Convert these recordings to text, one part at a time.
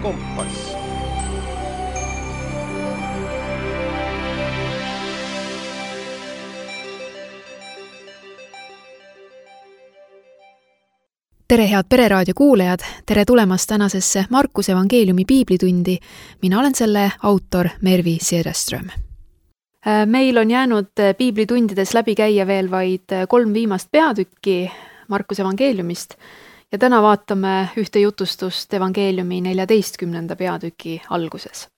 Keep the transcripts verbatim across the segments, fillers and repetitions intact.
Kompass. Tere head Pereraadio kuulajad, tere tulemast tänasesse Markuse evangeeliumi piiblitundi. Mina olen selle autor Mervi Sederström. Meil on jäänud piiblitundides läbi käia veel vaid kolm viimast peatükki Markuse evangeeliumist ja täna vaatame ühte jutustust evangeeliumi neljateistkümnenda peatüki alguses.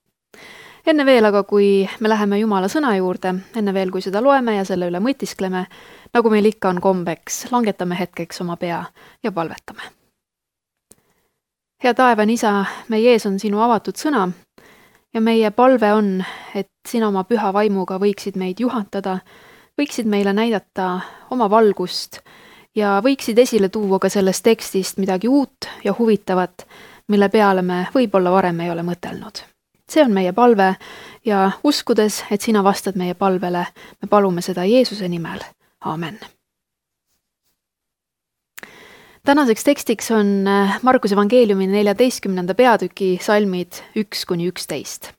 Enne veel aga, kui me läheme Jumala sõna juurde, enne veel, kui seda loeme ja selle üle mõtiskleme, nagu meil ikka on kombeks, langetame hetkeks oma pea ja palvetame. Hea taevane Isa, meie ees on sinu avatud sõna ja meie palve on, et sina oma püha vaimuga võiksid meid juhatada, võiksid meile näidata oma valgust ja võiksid esile tuua ka sellest tekstist midagi uut ja huvitavat, mille peale me võib-olla varem ei ole mõtelnud. See on meie palve ja uskudes, et sina vastad meie palvele, me palume seda Jeesuse nimel. Aamen. Tänaseks tekstiks on Markuse evangeeliumi neljateistkümnenda peatüki salmid üks kuni üksteist.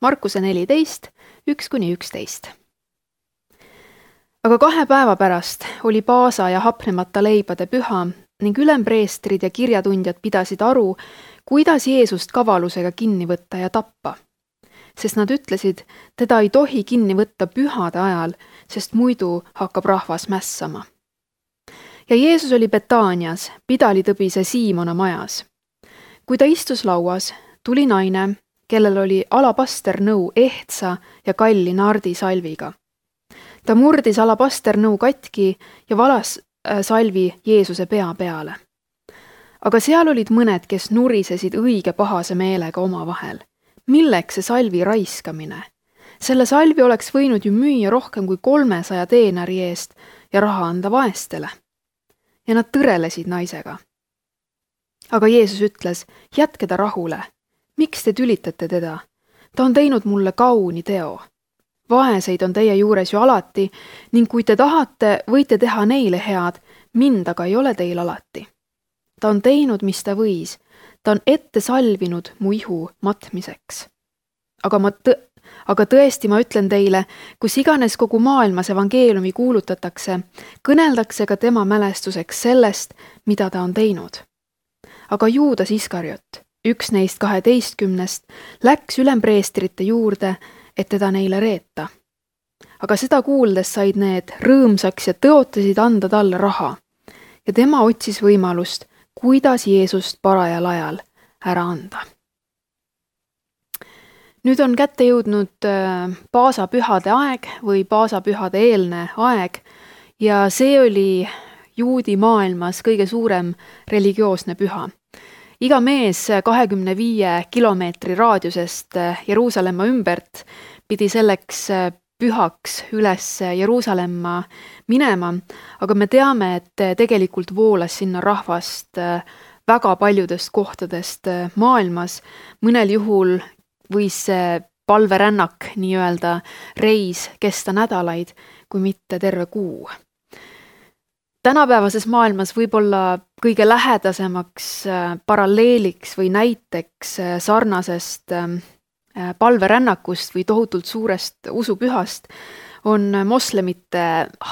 Markuse neliteist, üks kuni üksteist. Aga kahe päeva pärast oli paasa ja hapnemata leibade püha ning ülempreestrid ja kirjatundjad pidasid aru, kuidas Jeesust kavalusega kinni võtta ja tappa. Sest nad ütlesid, teda ei tohi kinni võtta pühade ajal, sest muidu hakkab rahvas mässama. Ja Jeesus oli Betaanias, pidalitõbise Siimona majas. Kui ta istus lauas, tuli naine, kellel oli alapasternnõu ehtsa ja kalli nardisalviga. Ta murdis alapasternnõu katki ja valas salvi Jeesuse pea peale. Aga seal olid mõned, kes nurisesid õige pahase meelega oma vahel. Milleks see salvi raiskamine? Selle salvi oleks võinud ju müüa rohkem kui kolmesaja teenari eest ja raha anda vaestele. Ja nad tõrelesid naisega. Aga Jeesus ütles, jätke ta rahule. Miks te tülitate teda? Ta on teinud mulle kauni teo. Vaeseid on teie juures ju alati ning kui te tahate, võite teha neile head, mind aga ei ole teil alati. Ta on teinud, mis ta võis. Ta on ette salvinud mu ihu matmiseks. Aga, ma tõ- aga tõesti ma ütlen teile, kus iganes kogu maailmas evangeeliumi kuulutatakse, kõneldakse ka tema mälestuseks sellest, mida ta on teinud. Aga Juudas Iskariot, üks neist kaheteistkümnest, läks ülempreestrite juurde, et teda neile reeta. Aga seda kuuldes said need rõõmsaks ja tõotasid anda talle raha. Ja tema otsis võimalust, kuidas Jeesust parajal ajal ära anda. Nüüd on kätte jõudnud paasapühade aeg või paasapühade eelne aeg ja see oli juudi maailmas kõige suurem religioosne püha. Iga mees kahekümne viie kilomeetri raadiusest Jeruusalemma ümbert pidi selleks pühaks üles Jeruusalemma minema, aga me teame, et tegelikult voolas sinna rahvast väga paljudest kohtadest maailmas. Mõnel juhul võis see palverännak, nii-öelda reis, kesta nädalaid, kui mitte terve kuu. Tänapäevases maailmas võib-olla kõige lähedasemaks paralleeliks või näiteks sarnasest palverännakust või tohutult suurest usupühast on moslemite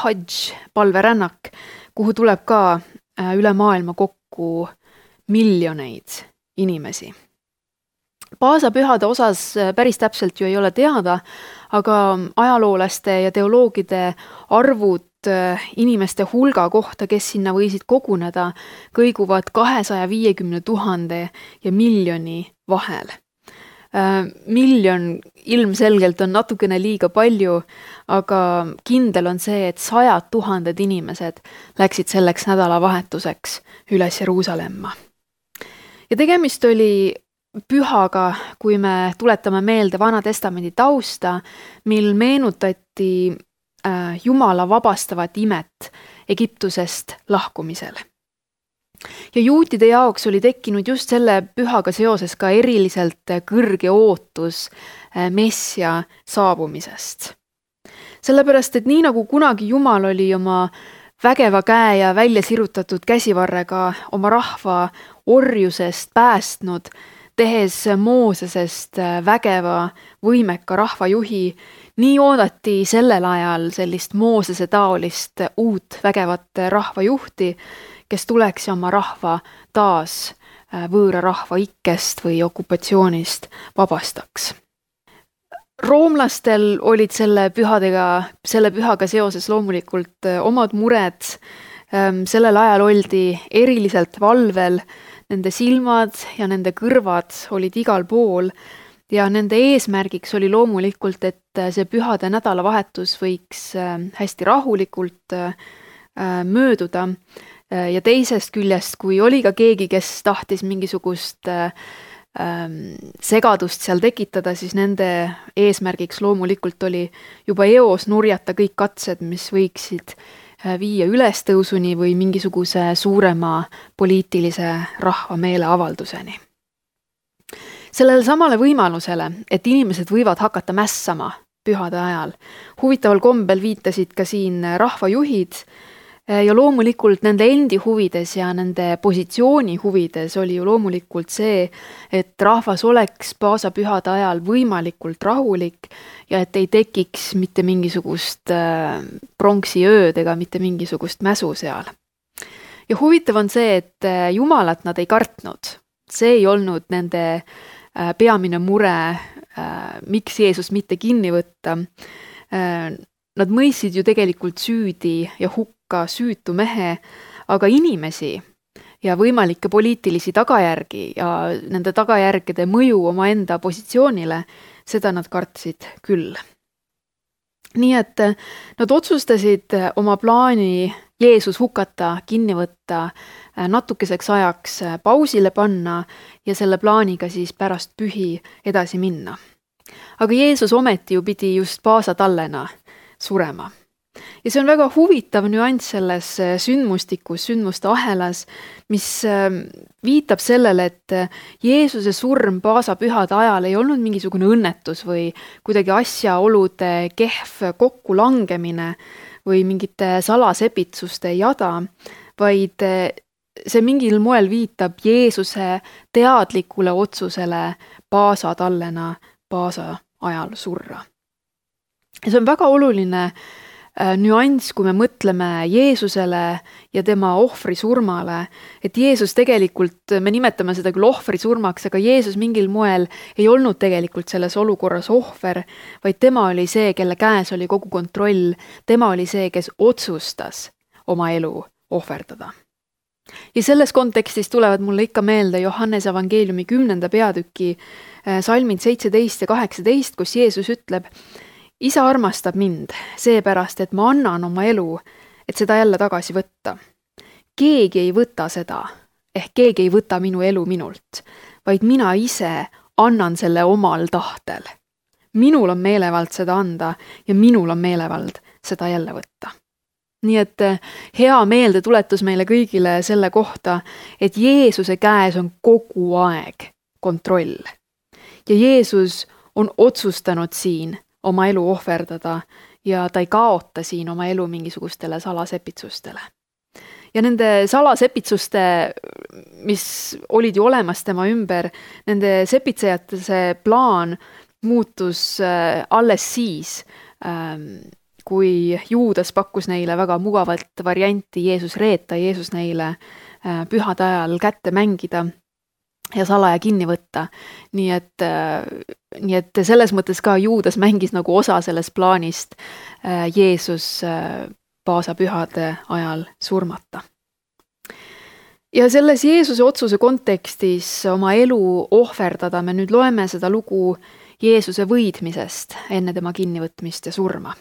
hadž palverännak, kuhu tuleb ka üle maailma kokku miljoneid inimesi. Paasapühade osas päris täpselt ju ei ole teada, aga ajaloolaste ja teoloogide arvud inimeste hulga kohta, kes sinna võisid koguneda, kõiguvad kahesaja viiekümne tuhande ja miljoni vahel. Miljon ilmselgelt on natukene liiga palju, aga kindel on see, et sajad tuhanded inimesed läksid selleks nädalavahetuseks üles Jeruusalemma. Ja tegemist oli pühaga, kui me tuletame meelde Vana Testamendi tausta, mil meenutati Jumala vabastavat imet Egiptusest lahkumisel. Ja juutide jaoks oli tekkinud just selle pühaga seoses ka eriliselt kõrge ootus Messia saabumisest. Sellepärast, et nii nagu kunagi Jumal oli oma vägeva käe ja välja sirutatud käsivarrega oma rahva orjusest päästnud, tehes Moosesest vägeva, võimeka rahvajuhi, nii oodati sellel ajal sellist Moosese taolist uut vägevat rahvajuhti, kes tuleks ja oma rahva taas võõra rahva ikkest või okupatsioonist vabastaks. Roomlastel olid selle pühadega, selle pühaga seoses loomulikult omad mured. Sellel ajal oldi eriliselt valvel, nende silmad ja nende kõrvad olid igal pool ja nende eesmärgiks oli loomulikult, et see pühade nädalavahetus võiks hästi rahulikult mööduda. Ja teisest küljest, kui oli ka keegi, kes tahtis mingisugust segadust seal tekitada, siis nende eesmärgiks loomulikult oli juba eos nurjata kõik katsed, mis võiksid viia ülestõusuni või mingisuguse suurema poliitilise rahva meeleavalduseni. Sellele samale võimalusele, et inimesed võivad hakata mässama pühade ajal, huvitaval kombel viitasid ka siin rahvajuhid ja loomulikult nende endi huvides ja nende positsiooni huvides oli ju loomulikult see, et rahvas oleks paasapühade ajal võimalikult rahulik ja et ei tekiks mitte mingisugust pronksi ööd ega mitte mingisugust mäsu seal. Ja huvitav on see, et Jumalat nad ei kartnud. See ei olnud nende peamine mure, miks Jeesus mitte kinni võtta. Nad mõistsid ju tegelikult süüdi ja hukka süütu mehe, aga inimesi ja võimalikke poliitilisi tagajärgi ja nende tagajärgede mõju omaenda positsioonile, seda nad kartsid küll. Nii et nad otsustasid oma plaani Jeesus hukata, kinni võtta, natukeseks ajaks pausile panna ja selle plaaniga siis pärast pühi edasi minna. Aga Jeesus ometi ju pidi just paasatallena surema. Ja see on väga huvitav nüanss selles sündmustikus, sündmuste ahelas, mis viitab sellele, et Jeesuse surm paasapühade ajal ei olnud mingisugune õnnetus või kuidagi asjaolude kehv kokkulangemine või mingite salasepitsuste jada, vaid see mingil moel viitab Jeesuse teadlikule otsusele paasatallena paasa ajal surra. Ja see on väga oluline nüanss, kui me mõtleme Jeesusele ja tema ohvri surmale, et Jeesus tegelikult, me nimetame seda küll ohvri surmaks, aga Jeesus mingil moel ei olnud tegelikult selles olukorras ohver, vaid tema oli see, kelle käes oli kogu kontroll, tema oli see, kes otsustas oma elu ohverdada. Ja selles kontekstis tulevad mulle ikka meelde Johannese evangeeliumi kümnenda peatüki salmid seitseteist ja kaheksateist, kus Jeesus ütleb: Isa armastab mind, seepärast, et ma annan oma elu, et seda jälle tagasi võtta. Keegi ei võta seda, ehk keegi ei võta minu elu minult, vaid mina ise annan selle omal tahtel. Minul on meelevald seda anda ja minul on meelevald seda jälle võtta. Nii et hea meelde tuletus meile kõigile selle kohta, et Jeesuse käes on kogu aeg kontroll. Ja Jeesus on otsustanud siin oma elu ohverdada ja ta ei kaota siin oma elu mingisugustele salasepitsustele. Ja nende salasepitsuste, mis olid ju olemas tema ümber, nende sepitsejate see plaan muutus alles siis, kui Juudas pakkus neile väga mugavat varianti Jeesus reeta, Jeesus neile pühade ajal kätte mängida ja salaja kinni võtta. Nii et, nii et selles mõttes ka Juudas mängis nagu osa sellest plaanist Jeesus paasapühade ajal surmata. Ja selles Jeesuse otsuse kontekstis oma elu ohverdada me nüüd loeme seda lugu Jeesuse võidmisest enne tema kinnivõtmist ja surma.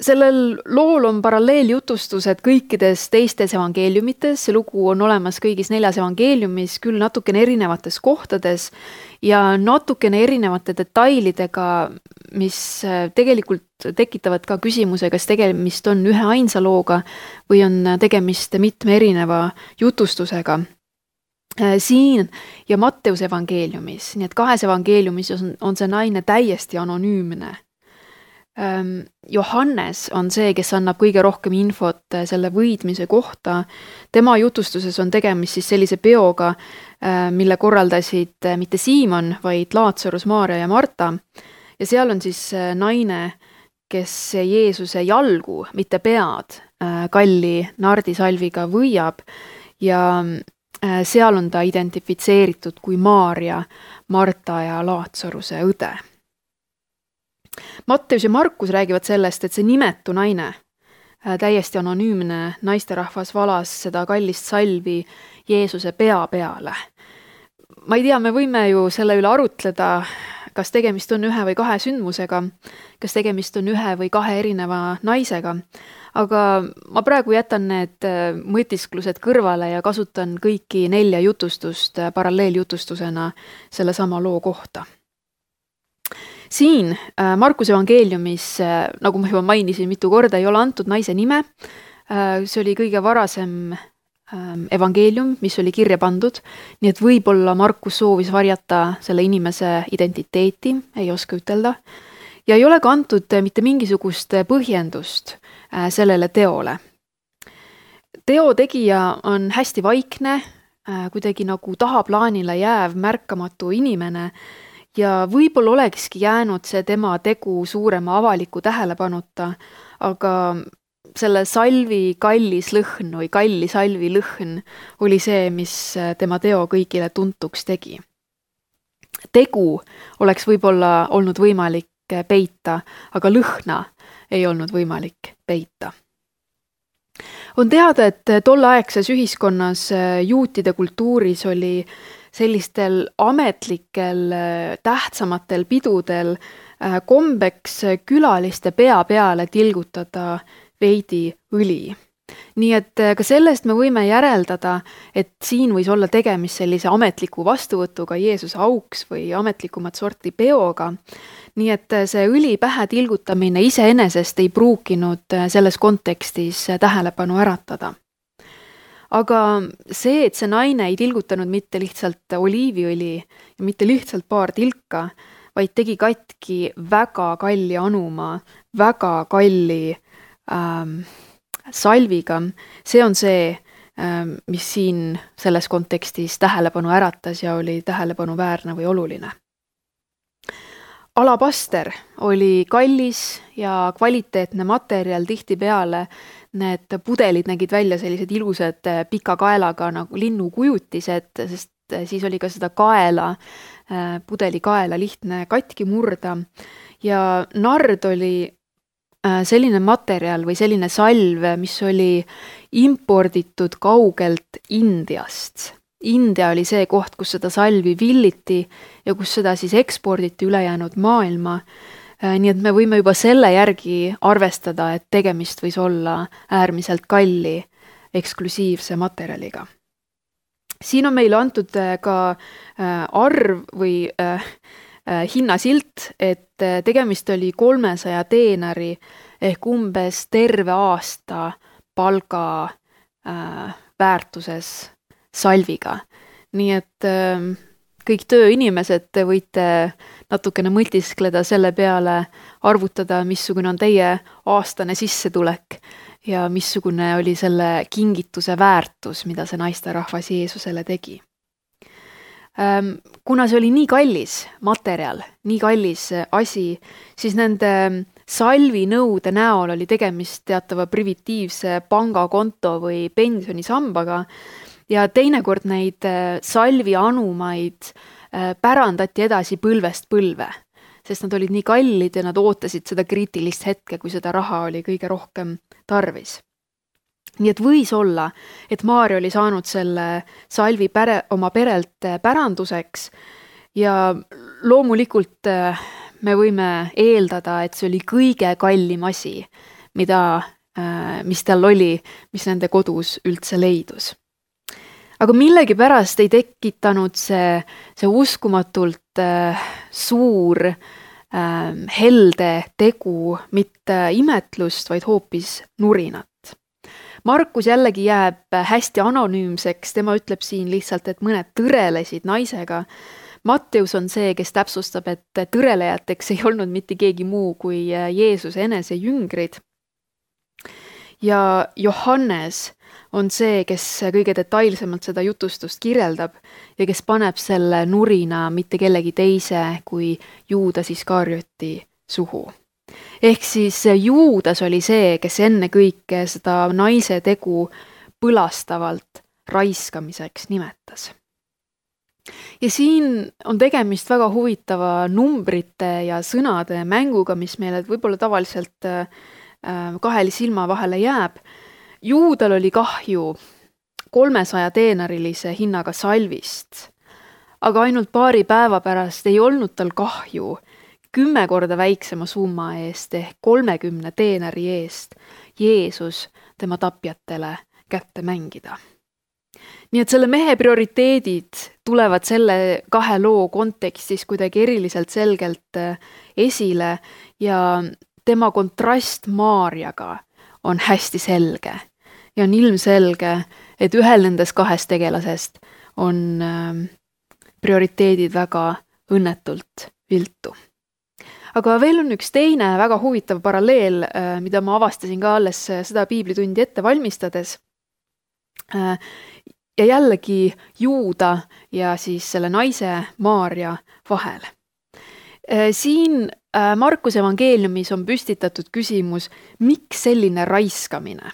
Sellel lool on paralleeljutustused kõikides teistes evangeeliumites, see lugu on olemas kõigis neljas evangeeliumis, küll natukene erinevates kohtades ja natukene erinevate detailidega, mis tegelikult tekitavad ka küsimuse, kas tegemist on ühe ainsa looga või on tegemist mitme erineva jutustusega. Siin ja Matteuse evangeeliumis, nii et kahes evangeeliumis on, on see naine täiesti anonüümne. Johannes on see, kes annab kõige rohkem infot selle võidmise kohta. Tema jutustuses on tegemist siis sellise peoga, mille korraldasid mitte Siimon, vaid Laatsarus, Maaria ja Marta. Ja seal on siis naine, kes Jeesuse jalgu, mitte pead, kalli nardisalviga võiab ja seal on ta identifitseeritud kui Maaria, Marta ja Laatsaruse õde. Matteus ja Markus räägivad sellest, et see nimetu naine, täiesti anonüümne naisterahvas valas seda kallist salvi Jeesuse pea peale. Ma ei tea, me võime ju selle üle arutleda, kas tegemist on ühe või kahe sündmusega, kas tegemist on ühe või kahe erineva naisega, aga ma praegu jätan need mõtisklused kõrvale ja kasutan kõiki nelja jutustust paralleeljutustusena selle sama loo kohta. Siin Markuse evangeeliumis, nagu ma juba mainisin mitu korda, ei ole antud naise nime. See oli kõige varasem evangeelium, mis oli kirja pandud, nii et võib-olla Markus soovis varjata selle inimese identiteeti, ei oska ütelda, ja ei ole ka antud mitte mingisugust põhjendust sellele teole. Teo tegija on hästi vaikne, kuidagi nagu tahaplaanile jääv märkamatu inimene, ja võib-olla olekski jäänud see tema tegu suurema avaliku tähelepanuta, aga selle salvi kallis lõhn või kalli salvi lõhn oli see, mis tema teo kõigile tuntuks tegi. Tegu oleks võib-olla olnud võimalik peita, aga lõhna ei olnud võimalik peita. On teada, et tolleaegses ühiskonnas juutide kultuuris oli sellistel ametlikel tähtsamatel pidudel kombeks külaliste pea peale tilgutada veidi õli. Nii et ka sellest me võime järeldada, et siin võis olla tegemist sellise ametliku vastuvõtuga Jeesuse auks või ametlikumat sorti peoga. Nii et see õli pähe tilgutamine iseenesest ei pruukinud selles kontekstis tähelepanu äratada. Aga see, et see naine ei tilgutanud mitte lihtsalt oliiviõli ja mitte lihtsalt paar tilka, vaid tegi katki väga kalli anuma, väga kalli ähm, salviga, see on see, ähm, mis siin selles kontekstis tähelepanu äratas ja oli tähelepanu väärne või oluline. Alabaster oli kallis ja kvaliteetne materjal tihtipeale. Need pudelid nägid välja sellised ilusad pika kaelaga nagu linnukujutised, sest siis oli ka seda kaela, pudeli kaela lihtne katki murda. Ja nard oli selline materjal või selline salv, mis oli imporditud kaugelt Indiast. India oli see koht, kus seda salvi villiti ja kus seda siis eksporditi ülejäänud maailma. Nii et me võime juba selle järgi arvestada, et tegemist võis olla äärmiselt kalli eksklusiivse materjaliga. Siin on meile antud ka arv või hinnasilt, et tegemist oli kolmesaja teenari ehk umbes terve aasta palga väärtuses salviga. Nii et kõik tööinimesed võite natukene mõtiskleda selle peale, arvutada, missugune on teie aastane sissetulek ja missugune oli selle kingituse väärtus, mida see naisterahvas Jeesusele tegi. Kuna see oli nii kallis materjal, nii kallis asi, siis nende salvinõude näol oli tegemist teatava privatiivse pangakonto või pensionisambaga ja teinekord neid salvianumaid pärandati edasi põlvest põlve, sest nad olid nii kallid ja nad ootasid seda kriitilist hetke, kui seda raha oli kõige rohkem tarvis. Nii et võis olla, et Maaria oli saanud selle salvi pere, oma perelt päranduseks ja loomulikult me võime eeldada, et see oli kõige kallim asi, mida, mis tal oli, mis nende kodus üldse leidus. Aga millegi pärast ei tekitanud see, see uskumatult äh, suur äh, helde tegu mitte imetlust, vaid hoopis nurinat. Markus jällegi jääb hästi anonüümseks, tema ütleb siin lihtsalt, et mõned tõrelesid naisega. Matteus on see, kes täpsustab, et tõrelejateks ei olnud mitte keegi muu kui Jeesuse enese jüngrid. Ja Johannes on see, kes kõige detailsemalt seda jutustust kirjeldab ja kes paneb selle nurina mitte kellegi teise kui Juudas Iskarioti suhu. Ehk siis Juudas oli see, kes enne kõike seda naise tegu põlastavalt raiskamiseks nimetas. Ja siin on tegemist väga huvitava numbrite ja sõnade mänguga, mis meile võib-olla tavaliselt kaheli silma vahele jääb. Juudal oli kahju kolmesaja teenarilise hinnaga salvist, aga ainult paari päeva pärast ei olnud tal kahju kümme korda väiksema summa eest ehk kolmekümne teenari eest Jeesus tema tapjatele kätte mängida. Nii et selle mehe prioriteedid tulevad selle kahe loo kontekstis kuidagi eriliselt selgelt esile ja tema kontrast Maarjaga on hästi selge ja on ilmselge, et ühel nendest kahest tegelasest on prioriteedid väga õnnetult viltu. Aga veel on üks teine väga huvitav paralleel, mida ma avastasin ka alles seda piiblitundi ette valmistades. Ja jällegi Juuda ja siis selle naise Maarja vahel. Siin Markuse evangeeliumis on püstitatud küsimus, miks selline raiskamine?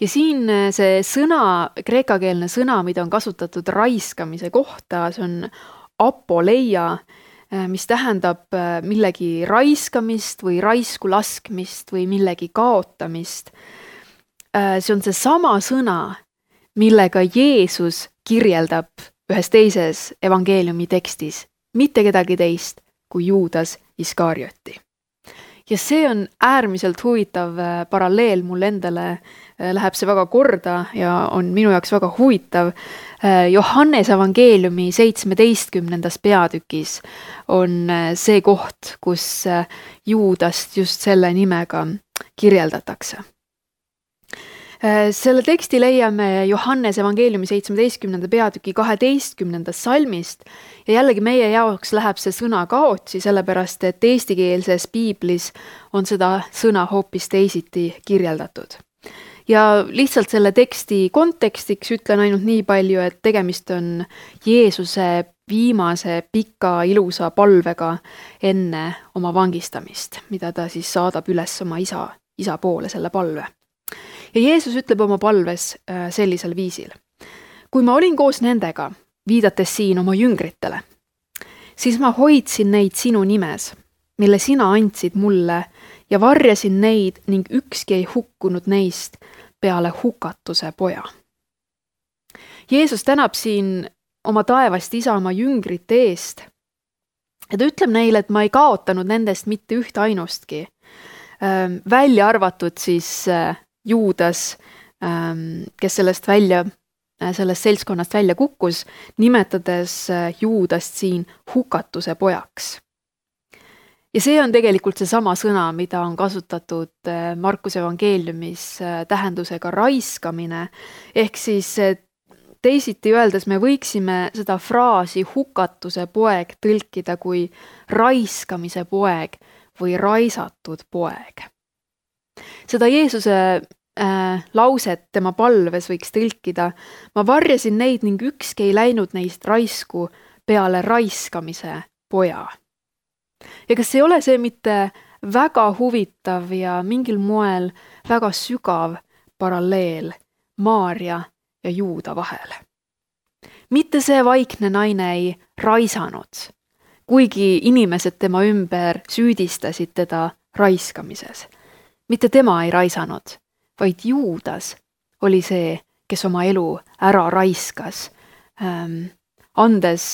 Ja siin see sõna, kreekakeelne sõna, mida on kasutatud raiskamise kohta, see on apoleia, mis tähendab millegi raiskamist või raisku laskmist või millegi kaotamist. See on see sama sõna, millega Jeesus kirjeldab ühes teises evangeeliumi tekstis mitte kedagi teist kui Juudas Iskarioti. Ja see on äärmiselt huvitav paralleel, mul endale läheb see väga korda ja on minu jaoks väga huvitav. Johannes evangeeliumi seitsmeteistkümnendas peatükis on see koht, kus Juudast just selle nimega kirjeldatakse. Selle teksti leiame Johannes evangeeliumi seitsmeteistkümnenda peatüki kaheteistkümnendast salmist ja jällegi meie jaoks läheb see sõna kaotsi, sellepärast et eestikeelses piiblis on seda sõna hoopis teisiti kirjeldatud. Ja lihtsalt selle teksti kontekstiks ütlen ainult nii palju, et tegemist on Jeesuse viimase pika ilusa palvega enne oma vangistamist, mida ta siis saadab üles oma isa, isa poole selle palve. Ja Jeesus ütleb oma palves sellisel viisil. Kui ma olin koos nendega, viidates siin oma jüngritele, siis ma hoidsin neid sinu nimes, mille sina andsid mulle ja varjasin neid ning ükski ei hukkunud neist peale hukatuse poja. Jeesus tänab siin oma taevast isa oma jüngrite eest ja ta ütleb neile, et ma ei kaotanud nendest mitte ühte ainustki. Välja arvatud siis Juudas, kes sellest välja, sellest seltskonnast välja kukkus, nimetades Juudast siin hukatuse pojaks. Ja see on tegelikult see sama sõna, mida on kasutatud Markuse evangeeliumis tähendusega raiskamine, ehk siis teisiti öeldes me võiksime seda fraasi hukatuse poeg tõlkida kui raiskamise poeg või raisatud poeg. Seda Jeesuse äh, lauset tema palves võiks tõlkida, ma varjasin neid ning ükski ei läinud neist raisku peale raiskamise poja. Ja kas ei ole see mitte väga huvitav ja mingil moel väga sügav paralleel Maarja ja Juuda vahel? Mitte see vaikne naine ei raisanud, kuigi inimesed tema ümber süüdistasid teda raiskamises. Mitte tema ei raisanud, vaid Juudas oli see, kes oma elu ära raiskas, ähm, andes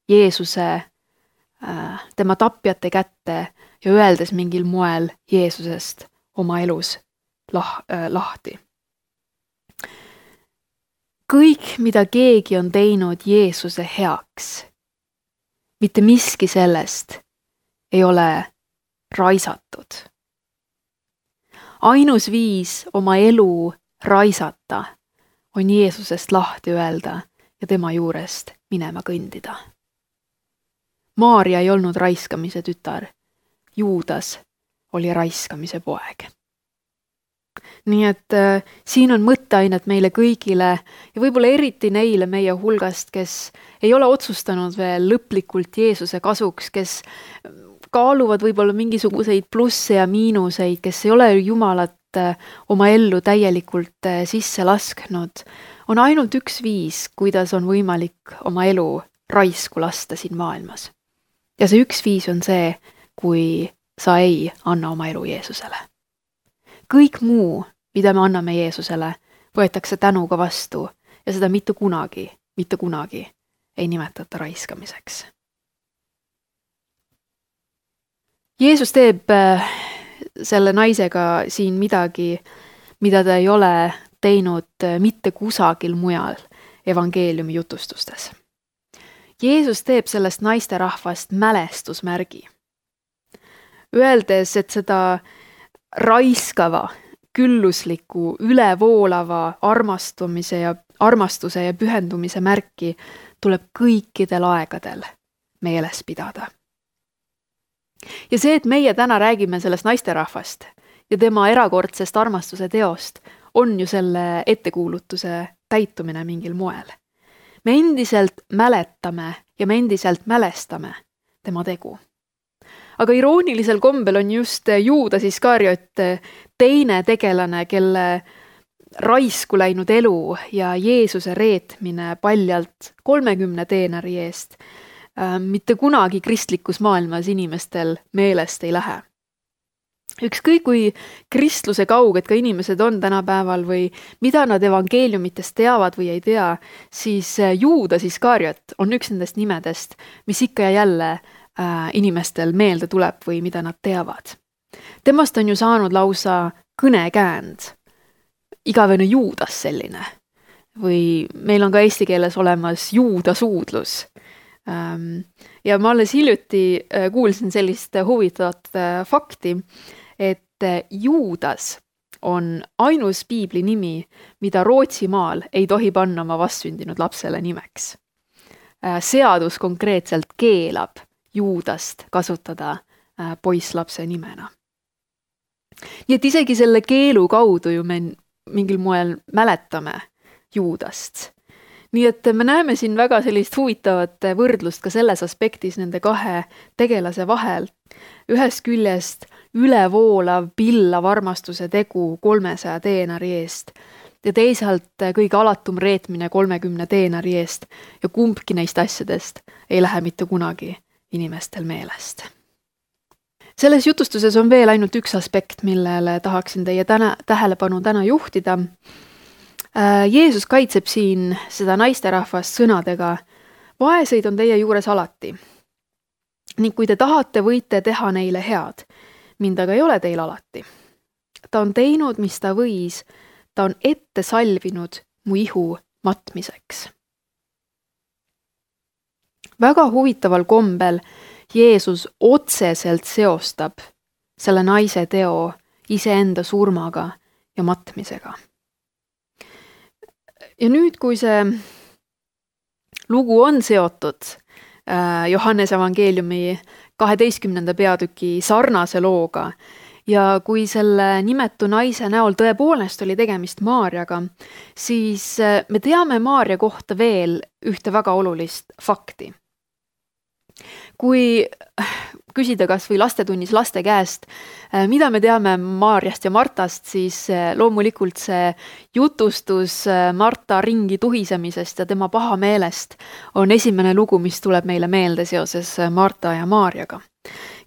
Jeesuse äh, tema tapjate kätte ja öeldes mingil moel Jeesusest oma elus lah, äh, lahti. Kõik, mida keegi on teinud Jeesuse heaks, mitte miski sellest ei ole raisatud. Ainus viis oma elu raisata, on Jeesusest lahti öelda ja tema juurest minema kõndida. Maarja ei olnud raiskamise tütar, Juudas oli raiskamise poeg. Nii et äh, siin on mõtteainet meile kõigile ja võib-olla eriti neile meie hulgast, kes ei ole otsustanud veel lõplikult Jeesuse kasuks, kes kaaluvad võib-olla mingisuguseid plusse ja miinuseid, kes ei ole Jumalat äh, oma ellu täielikult äh, sisse lasknud. On ainult üks viis, kuidas on võimalik oma elu raisku lasta siin maailmas. Ja see üks viis on see, kui sa ei anna oma elu Jeesusele. Kõik muu, mida me anname Jeesusele, võetakse tänuga vastu ja seda mitte kunagi, mitte kunagi ei nimetata raiskamiseks. Jeesus teeb selle naisega siin midagi, mida ta ei ole teinud mitte kusagil mujal evangeeliumi jutustustes. Jeesus teeb sellest naisterahvast mälestusmärgi, öeldes, et seda raiskava, küllusliku, ülevoolava armastumise ja, armastuse ja pühendumise märki tuleb kõikidel aegadel meeles pidada. Ja see, et meie täna räägime sellest naisterahvast ja tema erakordsest armastuse teost, on ju selle ettekuulutuse täitumine mingil moel. Me endiselt mäletame ja me endiselt mälestame tema tegu. Aga iroonilisel kombel on just Juudas Iskariot teine tegelane, kelle raisku läinud elu ja Jeesuse reetmine paljalt kolmekümne teenari eest mitte kunagi kristlikus maailmas inimestel meelest ei lähe. Ükskõik kui kristluse kauged ka inimesed on tänapäeval või mida nad evangeeliumitest teavad või ei tea, siis Juudas Iskariot on üks nendest nimedest, mis ikka ja jälle inimestel meelde tuleb või mida nad teavad. Temast on ju saanud lausa kõnekäänd, igavene Juudas selline. Või meil on ka eesti keeles olemas juudasuudlus. Ja ma alles hiljuti kuulsin sellist huvitavat fakti, et Juudas on ainus piibli nimi, mida Rootsimaal ei tohi panna oma vastsündinud lapsele nimeks. Seadus konkreetselt keelab Juudast kasutada poisslapse nimena. Nii et isegi selle keelu kaudu ju me mingil moel mäletame Juudast. Nii et me näeme siin väga sellist huvitavat võrdlust ka selles aspektis nende kahe tegelase vahel. Ühest küljest ülevoolav, pillav armastuse tegu kolmesaja teenari eest ja teisalt kõige alatum reetmine kolmekümne teenari eest ja kumbki neist asjadest ei lähe mitte kunagi inimestel meelest. Selles jutustuses on veel ainult üks aspekt, millele tahaksin teie täna, tähelepanu täna juhtida. Jeesus kaitseb siin seda naisterahvast sõnadega, vaeseid on teie juures alati. Ning kui te tahate, võite teha neile head, mind aga ei ole teil alati. Ta on teinud, mis ta võis, ta on ette salvinud mu ihu matmiseks. Väga huvitaval kombel Jeesus otseselt seostab selle naise teo iseenda surmaga ja matmisega. Ja nüüd, kui see lugu on seotud Johannese evangeeliumi kaheteistkümnenda peatüki sarnase looga ja kui selle nimetu naise näol tõepoolest oli tegemist Maarjaga, siis me teame Maarja kohta veel ühte väga olulist fakti. Kui küsida kas või lastetunnis laste käest, mida me teame Maarjast ja Martast, siis loomulikult see jutustus Marta ringi tuhisemisest ja tema pahameelest on esimene lugu, mis tuleb meile meelde seoses Marta ja Maarjaga.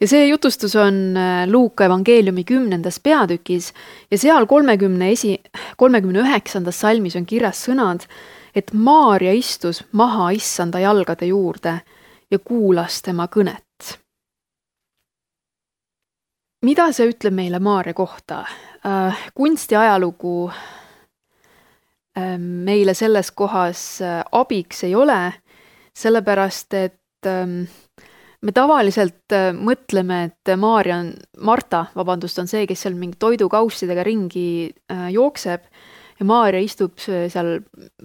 Ja see jutustus on Luuka evangeeliumi kümnendas peatükis ja seal kolmekümne üheksandas salmis on kirjas sõnad, et Maarja istus maha issanda jalgade juurde ja kuulas tema kõnet. Mida see ütleb meile Maarja kohta? Kunsti ajalugu meile selles kohas abiks ei ole, sellepärast et me tavaliselt mõtleme, et Maarja on, Marta, vabandust, on see, kes seal mingi toidukaussidega ringi jookseb ja Maarja istub seal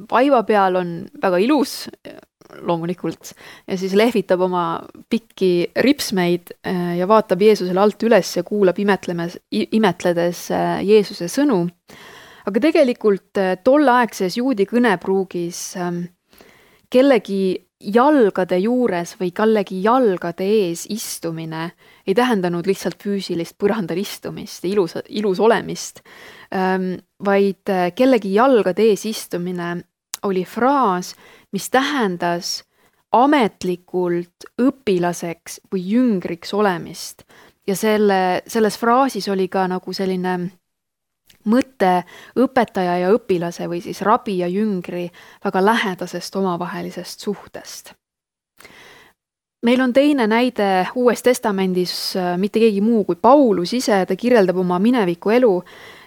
vaiva peal, on väga ilus loomulikult ja siis lehvitab oma pikki ripsmeid ja vaatab Jeesusele alt üles ja kuulab imetlemes, imetledes Jeesuse sõnu. Aga tegelikult tolleaegses juudi kõnepruugis kellegi jalgade juures või kellegi jalgade ees istumine ei tähendanud lihtsalt füüsilist põrandal istumist, ilus, ilus olemist, vaid kellegi jalgade ees istumine oli fraas, mis tähendas ametlikult õpilaseks või jüngriks olemist. Ja selle, selles fraasis oli ka nagu selline mõte õpetaja ja õpilase või siis rabi ja jüngri väga lähedasest omavahelisest suhtest. Meil on teine näide Uues Testamendis, mitte keegi muu kui Paulus ise, ta kirjeldab oma mineviku elu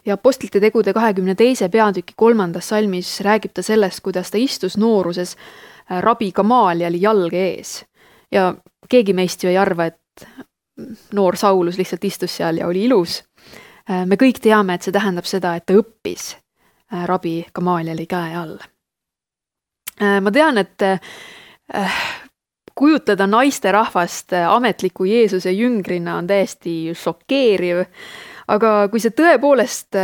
ja Apostlite tegude kahekümne teise peatüki kolmandas salmis räägib ta sellest, kuidas ta istus nooruses rabi Gamalieli jalge ees. Ja keegi meist ju ei arva, et noor Saulus lihtsalt istus seal ja oli ilus. Me kõik teame, et see tähendab seda, et ta õppis rabi Gamalieli käe all. Ma tean, et kujutleda naiste rahvast ametliku Jeesuse jüngrina on täiesti šokeeriv, aga kui see tõepoolest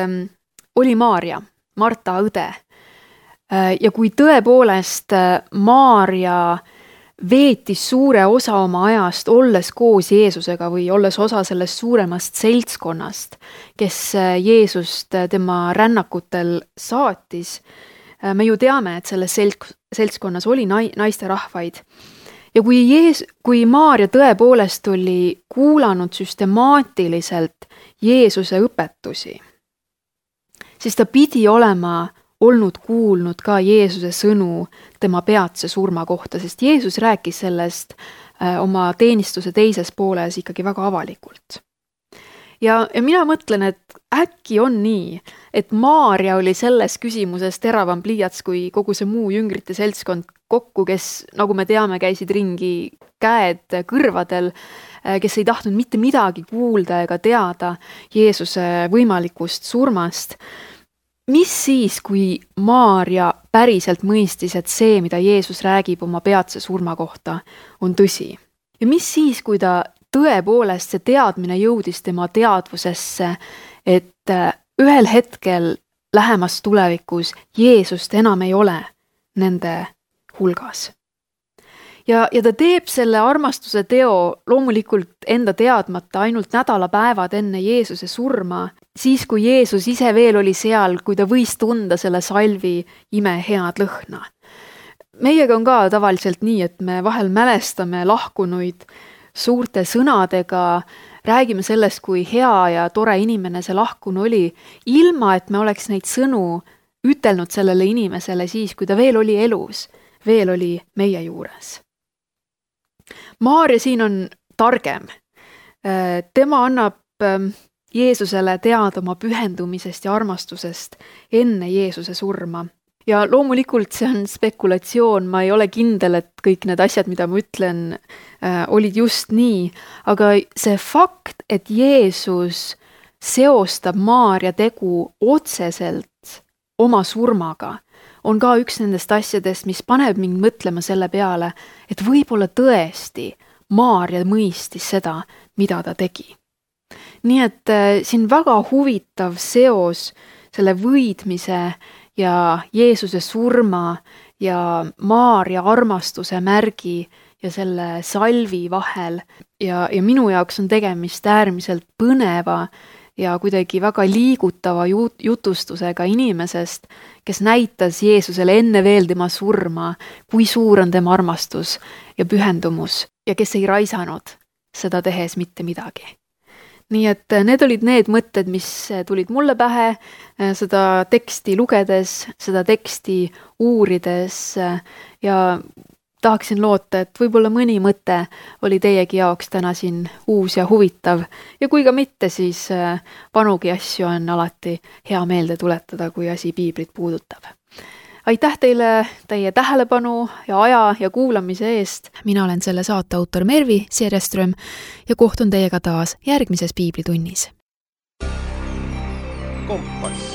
oli Maarja, Marta õde, ja kui tõepoolest Maarja veetis suure osa oma ajast olles koos Jeesusega või olles osa sellest suuremast seltskonnast, kes Jeesust tema rännakutel saatis, me ju teame, et selles seltskonnas oli naiste rahvaid. Ja kui, Jees, kui Maarja tõepoolest oli kuulanud süstemaatiliselt Jeesuse õpetusi, siis ta pidi olema olnud kuulnud ka Jeesuse sõnu tema peatse surma kohta, sest Jeesus rääkis sellest oma teenistuse teises pooles ikkagi väga avalikult. Ja, ja mina mõtlen, et äkki on nii, et Maarja oli selles küsimuses teravam pliiats kui kogu see muu jüngrite seltskond kokku, kes, nagu me teame, käisid ringi käed kõrvadel, kes ei tahtnud mitte midagi kuulda ega teada Jeesuse võimalikust surmast. Mis siis, kui Maarja päriselt mõistis, et see, mida Jeesus räägib oma peatse surma kohta, on tõsi? Ja mis siis, kui ta tõepoolest see teadmine jõudis tema teadvusesse, et ühel hetkel lähemas tulevikus Jeesust enam ei ole nende hulgas? Ja, ja ta teeb selle armastuse teo loomulikult enda teadmata ainult nädalapäevad enne Jeesuse surma, siis kui Jeesus ise veel oli seal, kui ta võis tunda selle salvi ime head lõhna. Meiega on ka tavaliselt nii, et me vahel mälestame lahkunuid suurte sõnadega, räägime sellest, kui hea ja tore inimene see lahkunu oli, ilma et me oleks neid sõnu ütelnud sellele inimesele siis, kui ta veel oli elus, veel oli meie juures. Maarja siin on targem. Tema annab Jeesusele teada oma pühendumisest ja armastusest enne Jeesuse surma. Ja loomulikult see on spekulatsioon, ma ei ole kindel, et kõik need asjad, mida ma ütlen, olid just nii, aga see fakt, et Jeesus seostab Maarja tegu otseselt oma surmaga, on ka üks nendest asjadest, mis paneb mind mõtlema selle peale, et võib-olla tõesti Maarja mõistis seda, mida ta tegi. Nii et siin väga huvitav seos selle võidmise ja Jeesuse surma ja Maarja armastuse märgi ja selle salvi vahel ja, ja minu jaoks on tegemist äärmiselt põneva ja kuidagi väga liigutava jutustusega inimesest, kes näitas Jeesusele enne veel tema surma, kui suur on tema armastus ja pühendumus ja kes ei raisanud seda tehes mitte midagi. Nii et need olid need mõtted, mis tulid mulle pähe seda teksti lugedes, seda teksti uurides ja tahaksin loota, et võib-olla mõni mõte oli teiegi jaoks täna siin uus ja huvitav ja kui ka mitte, siis vanugi asju on alati hea meelde tuletada, kui asi piiblit puudutab. Aitäh teile teie tähelepanu ja aja ja kuulamise eest. Mina olen selle saate autor Mervi Serjeström ja kohtun teiega taas järgmises piiblitunnis. Kompass.